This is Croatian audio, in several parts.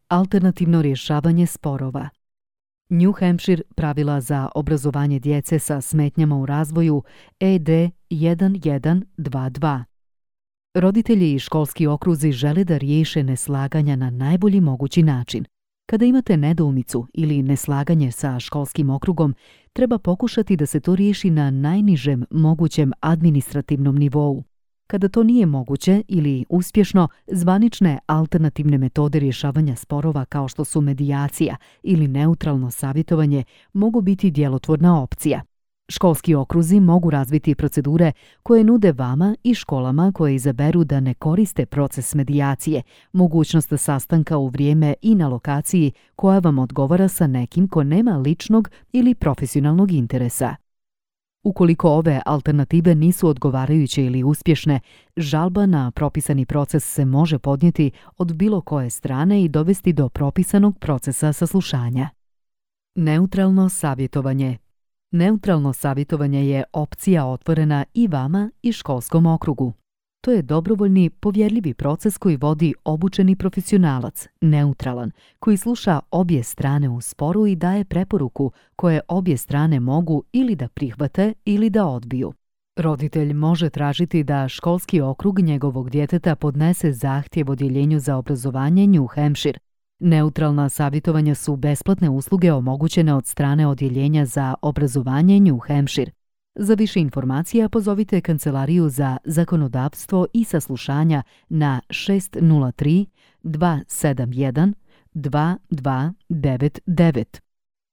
Alternativno rješavanje sporova. New Hampshire pravila za obrazovanje djece sa smetnjama u razvoju ED 1122. Roditelji i školski okruzi žele da riješe neslaganja na najbolji mogući način. Kada imate nedoumicu ili neslaganje sa školskim okrugom, treba pokušati da se to riješi na najnižem mogućem administrativnom nivou. Kada to nije moguće ili uspješno, zvanične alternativne metode rješavanja sporova kao što su medijacija ili neutralno savjetovanje mogu biti djelotvorna opcija. Školski okruzi mogu razviti procedure koje nude vama i školama koje izaberu da ne koriste proces medijacije, mogućnost sastanka u vrijeme i na lokaciji koja vam odgovara sa nekim ko nema ličnog ili profesionalnog interesa. Ukoliko ove alternative nisu odgovarajuće ili uspješne, žalba na propisani proces se može podnijeti od bilo koje strane i dovesti do propisanog procesa saslušanja. Neutralno savjetovanje. Neutralno savjetovanje je opcija otvorena i vama i školskom okrugu. To je dobrovoljni, povjerljivi proces koji vodi obučeni profesionalac, neutralan, koji sluša obje strane u sporu i daje preporuku koje obje strane mogu ili da prihvate ili da odbiju. Roditelj može tražiti da školski okrug njegovog djeteta podnese zahtjev odjeljenju za obrazovanje New Hampshire. Neutralna savjetovanja su besplatne usluge omogućene od strane odjeljenja za obrazovanje New Hampshire. Za više informacija pozovite Kancelariju za zakonodavstvo i saslušanja na 603 271 2299.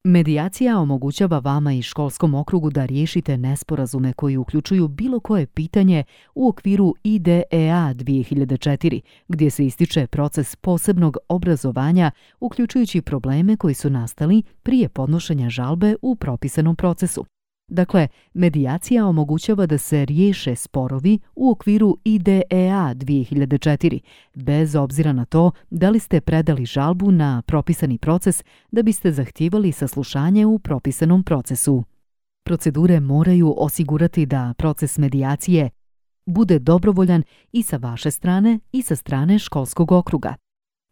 Medijacija omogućava vama i školskom okrugu da riješite nesporazume koji uključuju bilo koje pitanje u okviru IDEA 2004, gdje se ističe proces posebnog obrazovanja, uključujući probleme koji su nastali prije podnošenja žalbe u propisanom procesu. Dakle, medijacija omogućava da se riješe sporovi u okviru IDEA 2004, bez obzira na to da li ste predali žalbu na propisani proces da biste zahtijevali saslušanje u propisanom procesu. Procedure moraju osigurati da proces medijacije bude dobrovoljan i sa vaše strane i sa strane školskog okruga.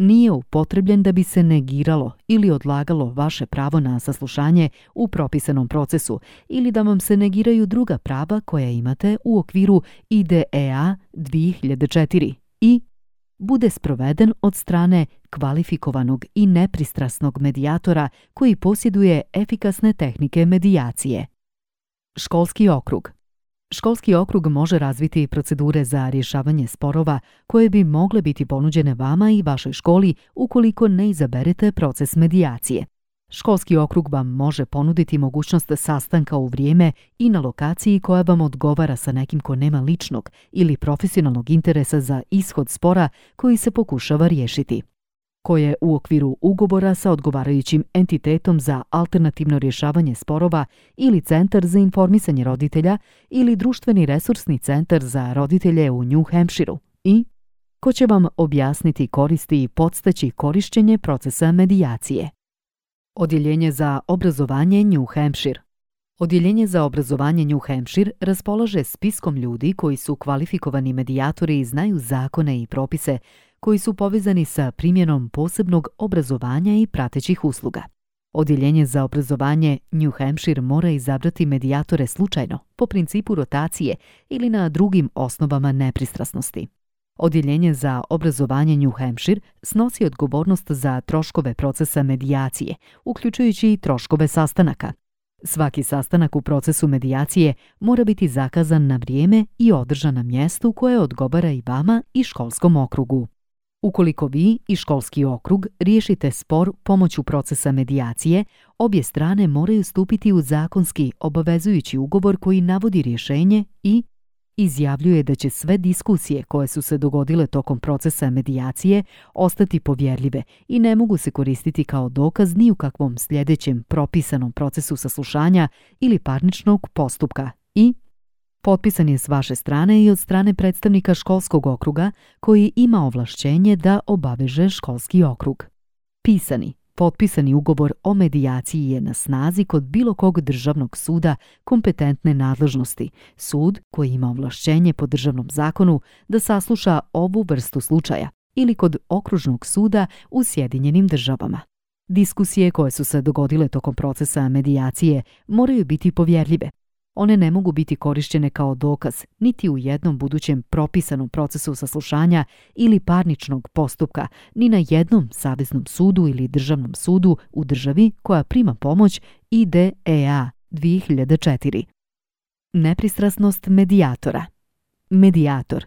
Nije upotrebljen da bi se negiralo ili odlagalo vaše pravo na saslušanje u propisanom procesu ili da vam se negiraju druga prava koja imate u okviru IDEA 2004 i bude sproveden od strane kvalifikovanog i nepristrasnog medijatora koji posjeduje efikasne tehnike medijacije. Školski okrug. Školski okrug može razviti procedure za rješavanje sporova koje bi mogle biti ponuđene vama i vašoj školi ukoliko ne izaberete proces medijacije. Školski okrug vam može ponuditi mogućnost sastanka u vrijeme i na lokaciji koja vam odgovara sa nekim ko nema ličnog ili profesionalnog interesa za ishod spora koji se pokušava riješiti, koje u okviru ugovora sa odgovarajućim entitetom za alternativno rješavanje sporova ili Centar za informisanje roditelja ili Društveni resursni centar za roditelje u New Hampshireu i ko će vam objasniti koristi i podstaći korištenje procesa medijacije. Odjeljenje za obrazovanje New Hampshire. Odjeljenje za obrazovanje New Hampshire raspolaže spiskom ljudi koji su kvalifikovani medijatori i znaju zakone i propise koji su povezani sa primjenom posebnog obrazovanja i pratećih usluga. Odjeljenje za obrazovanje New Hampshire mora izabrati medijatore slučajno, po principu rotacije ili na drugim osnovama nepristrasnosti. Odjeljenje za obrazovanje New Hampshire snosi odgovornost za troškove procesa medijacije, uključujući i troškove sastanaka. Svaki sastanak u procesu medijacije mora biti zakazan na vrijeme i održan na mjestu koje odgovara i vama i školskom okrugu. Ukoliko vi i školski okrug riješite spor pomoću procesa medijacije, obje strane moraju stupiti u zakonski obavezujući ugovor koji navodi rješenje i izjavljuje da će sve diskusije koje su se dogodile tokom procesa medijacije ostati povjerljive i ne mogu se koristiti kao dokaz ni u kakvom sljedećem propisanom procesu saslušanja ili parničnog postupka i potpisan je s vaše strane i od strane predstavnika školskog okruga koji ima ovlašćenje da obaveže školski okrug. Pisani, potpisani ugovor o medijaciji je na snazi kod bilo kog državnog suda kompetentne nadležnosti, sud koji ima ovlašćenje po državnom zakonu da sasluša ovu vrstu slučaja ili kod okružnog suda u Sjedinjenim Državama. Diskusije koje su se dogodile tokom procesa medijacije moraju biti povjerljive. One ne mogu biti korišćene kao dokaz niti u jednom budućem propisanom procesu saslušanja ili parničnog postupka, ni na jednom saveznom sudu ili državnom sudu u državi koja prima pomoć IDEA 2004. Nepristrasnost medijatora. Medijator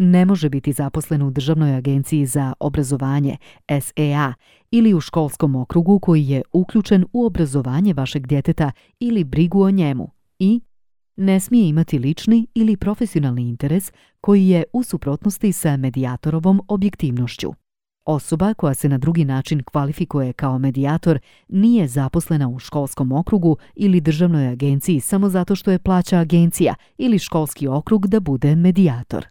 ne može biti zaposlen u Državnoj agenciji za obrazovanje SEA ili u školskom okrugu koji je uključen u obrazovanje vašeg djeteta ili brigu o njemu i ne smije imati lični ili profesionalni interes koji je u suprotnosti sa medijatorovom objektivnošću. Osoba koja se na drugi način kvalifikuje kao medijator nije zaposlena u školskom okrugu ili državnoj agenciji samo zato što je plaća agencija ili školski okrug da bude medijator.